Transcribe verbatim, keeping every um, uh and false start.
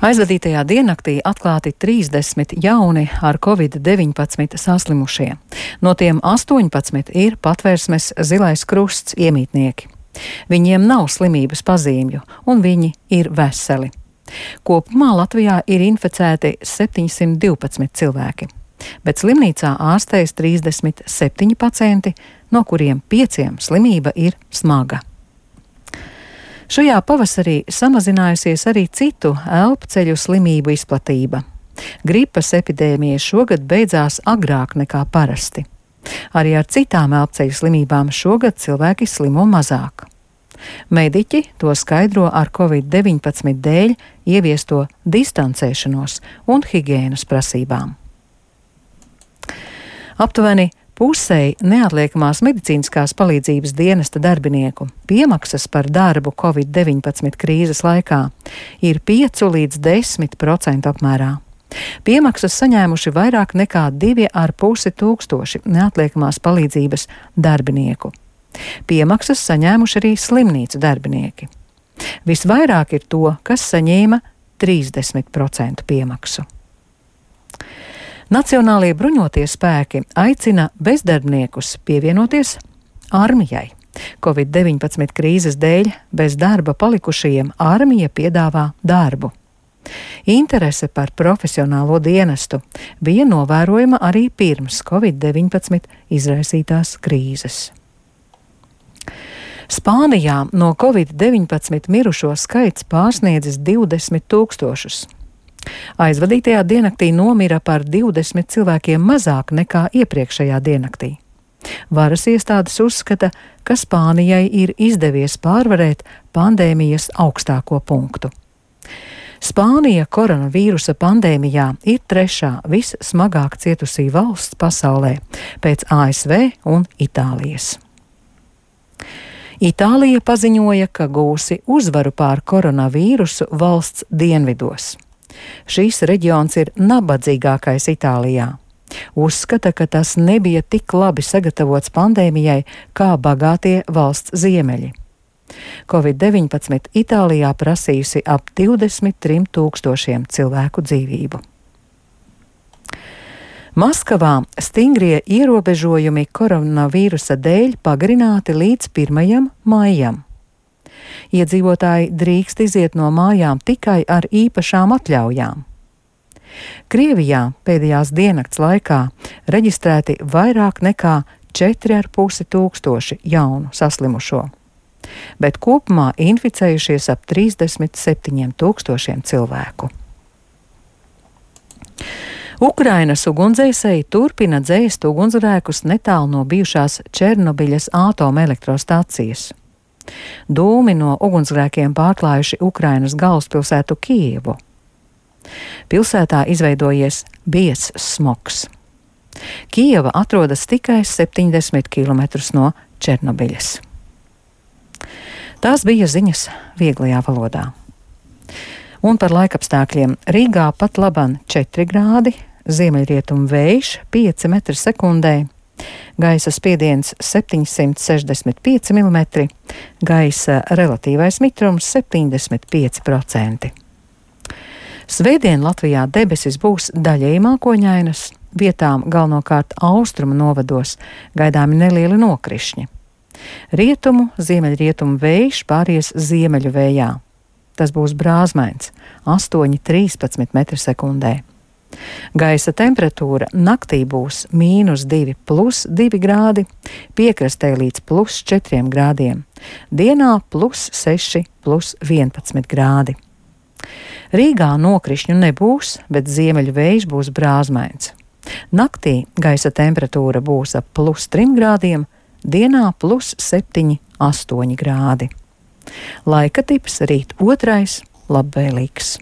Aizvadītajā diennaktī atklāti trīsdesmit jauni ar covid deviņpadsmit saslimušie. No tiem astoņpadsmit ir Patvērsmes Zilais Krusts iemītnieki. Viņiem nav slimības pazīmju, un viņi ir veseli. Kopumā Latvijā ir inficēti septiņsimt divpadsmit cilvēki, bet slimnīcā ārstējas trīsdesmit septiņi pacienti, no kuriem pieciem slimība ir smaga. Šajā pavasarī samazinājusies arī citu elpceļu slimību izplatība. Gripas epidēmija šogad beidzās agrāk nekā parasti. Arī ar citām elpceļu slimībām šogad cilvēki slimo mazāk. Mediķi to skaidro ar covid deviņpadsmit dēļ ieviesto distancēšanos un higienas prasībām. Aptuveni pusei neatliekamās medicīniskās palīdzības dienesta darbinieku piemaksas par darbu covid deviņpadsmit krīzes laikā ir pieci līdz desmit procenti apmērā. Piemaksas saņēmuši vairāk nekā divi ar pusi tūkstoši neatliekamās palīdzības darbinieku. Piemaksas saņēmuši arī slimnīcu darbinieki. Visvairāk ir to, kas saņēma trīsdesmit procentu piemaksu. Nacionālie bruņotie spēki aicina bezdarbniekus pievienoties armijai. covid deviņpadsmit krīzes dēļ bez darba palikušajiem armija piedāvā darbu. Interese par profesionālo dienestu bija novērojama arī pirms covid deviņpadsmit izraisītās krīzes. Spānijā no covid deviņpadsmit mirušo skaits pārsniedzis divdesmit tūkstošus. Aizvadītajā diennaktī nomira par divdesmit cilvēkiem mazāk nekā iepriekšējā diennaktī. Varas iestādes uzskata, ka Spānijai ir izdevies pārvarēt pandēmijas augstāko punktu. Spānija koronavīrusa pandēmijā ir trešā vissmagāk cietusī valsts pasaulē pēc A S V un Itālijas. Itālija paziņoja, ka gūsi uzvaru pār koronavīrusu valsts dienvidos. Šīs reģions ir nabadzīgākais Itālijā. Uzskata, ka tas nebija tik labi sagatavots pandēmijai kā bagātie valsts ziemeļi. covid deviņpadsmit Itālijā prasījusi ap divdesmit trim tūkstošiem cilvēku dzīvību. Maskavā stingrie ierobežojumi koronavīrusa dēļ pagarināti līdz pirmajam maijam. Iedzīvotāji drīkst iziet no mājām tikai ar īpašām atļaujām. Krievijā pēdējās diennakts laikā reģistrēti vairāk nekā četri ar pusi tūkstoši jaunu saslimušo, bet kopumā inficējušies ap trīsdesmit septiņiem tūkstošiem cilvēku. Ukrainas ugunsdzēsēji turpina dzēst ugunsgrēkus netālu no bijušās Černobiļas atomelektrostacijas. Dūmi no ugunsgrēkiem pārklājuši Ukrainas galvaspilsētu Kijevu. Pilsētā izveidojies biezs smogs. Kijeva atrodas tikai septiņdesmit kilometrus no Černobiļas. Tās bija ziņas vieglajā valodā. Un par laikapstākļiem Rīgā pat laban četri grādi, ziemeļrietumu vējš pieci metri sekundē, gaisa spiediens septiņsimt sešdesmit pieci milimetri, gaisa relatīvais mitrums septiņdesmit pieci procenti. Svētdien Latvijā debesis būs daļēji mākoņainas, vietām galvenokārt austrumu novados gaidāmi nelieli nokrišņi. Rietumu, ziemeļrietumu vējš pāries ziemeļu vējā. Tas būs brāzmains - astoņi līdz trīspadsmit metri sekundē. Gaisa temperatūra naktī būs mīnus divi plus divi grādi, piekrastē līdz plus četriem grādiem, dienā plus seši plus vienpadsmit grādi. Rīgā nokrišņu nebūs, bet ziemeļu vējš būs brāzmains. Naktī gaisa temperatūra būs ap plus trim grādiem, dienā plus septiņi astoņi grādi. Laika tips rīt otrais labvēlīgs.